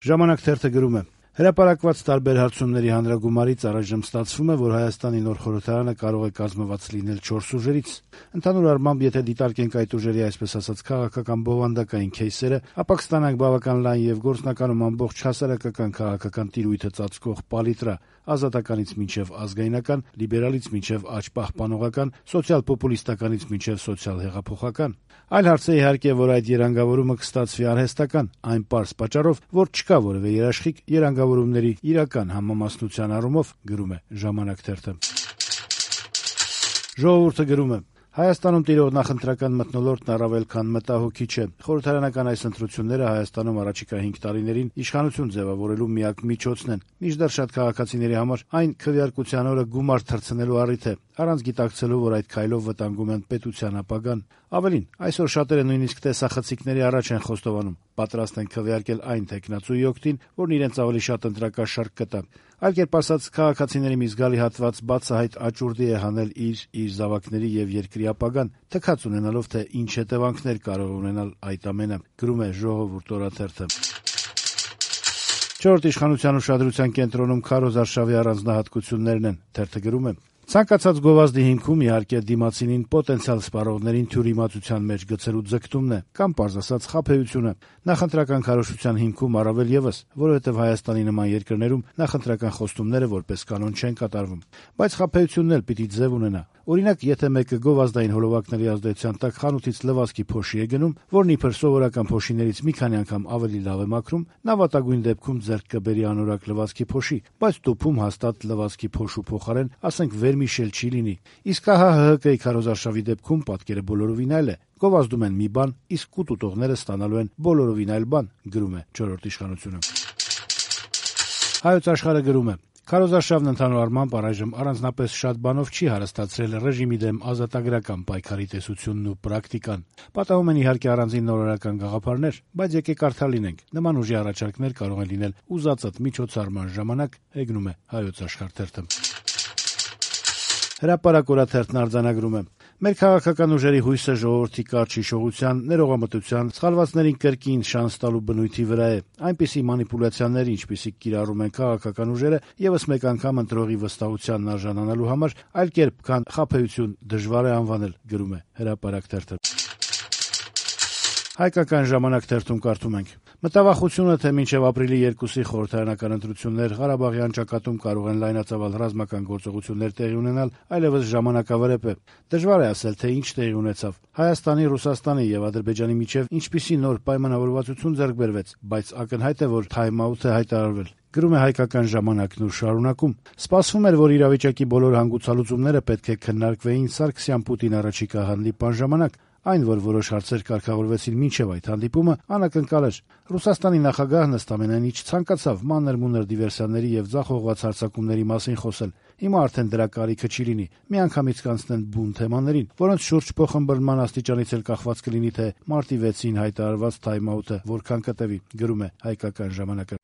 Ժամանակ թերթը գրում է. Հրապարակված տարբեր հարցումների հանրագումարից առայժմ ստացվում է, որ Հայաստանի նոր խորհրդարանը կարող է կազմված լինել 4 ուժերից։ Ընդհանուր առմամբ, եթե դիտարկենք այդ ուժերի այսպես ասած քաղաքական բովանդակային քեյսերը, ապա կստանանք բավական լայն եւ գործնականում ամբողջ հասարակական քաղաքական տիրույթը ծածկող պալիտրա՝ ազատականից մինչև ազգայնական, լիբերալից մինչև աճ-պահպանողական, սոցիալ-պոպուլիստականից մինչև սոցիալ-հեղափոխական։ Այլ հարց է իհարկե, որ այդ երանգավորումը կստացվի արհեստական, այն պարզ պատճառով, որ չկա որևէ երաշխիք երանգավորումների իրական համամասնության առումով, գրում է «Ժամանակ» թերթը։ «Ժողովուրդ»-ը գրում է. Հայաստանում տիրող նախընտրական մթնոլորտն առավել քան մտահոգիչ է։ Խորհրդարանական այս ընտրությունները Հայաստանում առաջիկա 5 տարիներին իշխանություն ձևավորելու միակ միջոցն են։ Մինչդեռ շատ քաղաքացիների համար այն քվեարկության օրը գումար թռցնելու առիթ է, առանց գիտակցելու, որ այդ քայլով վտանգում են պետության ապագան։ Ավելին, այսօր շատերը նույնիսկ տեսախցիկների առաջ են խոստովանում, պատրաստ են քվեարկել այն թեկնածուի օգտին, որն իրենց ավելի շատ ընտրակաշառք կտա։ Այլ կերպ ասած, քաղաքացիների մի զգալի հատված բացահայտ աճուրդի է հանել իր զավակների եւ երկրի ապագան, թքած ունենալով, թե ինչ հետևանքներ կարող ունենալ այդ ամենը, գրում է «Ժողովուրդ» օրաթերթը։ Չորրորդ իշխանության ուշադրության կենտրոնում Քարոզ արշավի առանձնահատկություններն են, թերթը գրում է. Ցանկացած գովազդի հիմքում իհարկե դիմացինին պոտենցիալ սպառողներին թյուրիմացության մեջ գցելու ձգտումն է, կամ պարզ ասած խաբեությունը։ Նախընտրական քարոզչության հիմքում առավել եւս, որովհետեւ Հայաստանի նման երկրներում նախընտրական խոստումները որպես կանոն չեն կատարվում։ Բայց խաբեությունն էլ պիտի ձև ունենա։ Օրինակ, եթե մեկը գովազդային հոլովակների ազդեցության տակ խանութից լվացքի փոշի է գնում, որն իբր սովորական փոշիներից մի քանի անգամ ավելի լավ է մաքրում, նա վատագույն դեպքում ձեռք կբերի անորակ լվացքի փոշի, բայց տուփում հաստատ լվացքի փոշու փոխարեն, ասենք, վերմիշել չի լինի։ Իսկ ահա ՀՀԿ-ի քարոզարշավի դեպքում պատկերը բոլորովին այլ է։ Գովազդում են մի բան, իսկ կուտուտողները ստանալու են բոլորովին այլ բան, գրում է չորրորդ իշխանությունը։ Հայոց Աշխարհը գրում է. Քարոզարշավն ընդհանուր առմամբ առայժմ առանձնապես շատ բանով չի հարստացրել ռեժիմի դեմ ազատագրական պայքարի տեսությունն ու պրակտիկան։ Պատահում են իհարկե առանձին նորարարական գաղափարներ, բայց եկեք կարդալ լինենք։ Նման ուժի առաջարկներ կարող են լինել ուզածդ միջոցառման ժամանակ, հեգնում է Հայոց Աշխարհ թերթը։ Հրապարակ օրաթերթն արձանագրում է. Մեր քաղաքական ուժերի հույսը ժողովրդի կարճ հիշողության, ներողամտության, սխալվածներին կրկին շանս տալու բնույթի վրա է։ Այնպիսի մանիպուլյացիաներ, ինչպիսիք կիրառում են քաղաքական ուժերը, եւս մեկ անգամ ընտրողի վստահությանն արժանանալու համար, այլ կերպ, քան խաբեություն դժվար է անվանել, գրում է Հրապարակ թերթը։ Հայկական ժամանակ թերթում կարդում ենք. Մտավախությունը, թե մինչև ապրիլի 2-ի խորհրդարանական ընտրություններ Ղարաբաղյան ճակատում կարող են լայնածավալ ռազմական գործողություններ տեղի ունենալ, այլևս ժամանակավրեպ է։ Դժվար է ասել, թե ինչ տեղի ունեցավ։ Հայաստանի, Ռուսաստանի եւ Ադրբեջանի միջև ինչպիսի նոր պայմանավորվածություն ձեռք բերվեց, բայց ակնհայտ է, որ թայմ-աութ է հայտարարվել։ Գրում է Հայկական ժամանակն ու շարունակում. Սպասվում էր, որ իրավիճակի բոլոր հանգուցալուծումները պետք է քննարկվեին Սարգսյան-Պուտին առաջիկա հանդիպան ժամանակ։ Այն, որ որոշ հարցեր կարգավորվեցին մինչև այդ հանդիպումը, անակնկալ էր։ Ռուսաստանի նախագահն ըստ ամենայնի չցանկացավ մանր-մունր դիվերսիաների եւ ձախողված հարձակումների մասին խոսել։ Հիմա արդեն դրա կարիքը չի լինի։ Միանգամից կանցնեն բուն թեմաներին, որոնց շուրջ փոխըմբռնման աստիճանից էլ կախված կլինի, թե մարտի 6-ին հայտարարված թայմ-աութը որքան կտևի, գրում է Հայկական ժամանակը։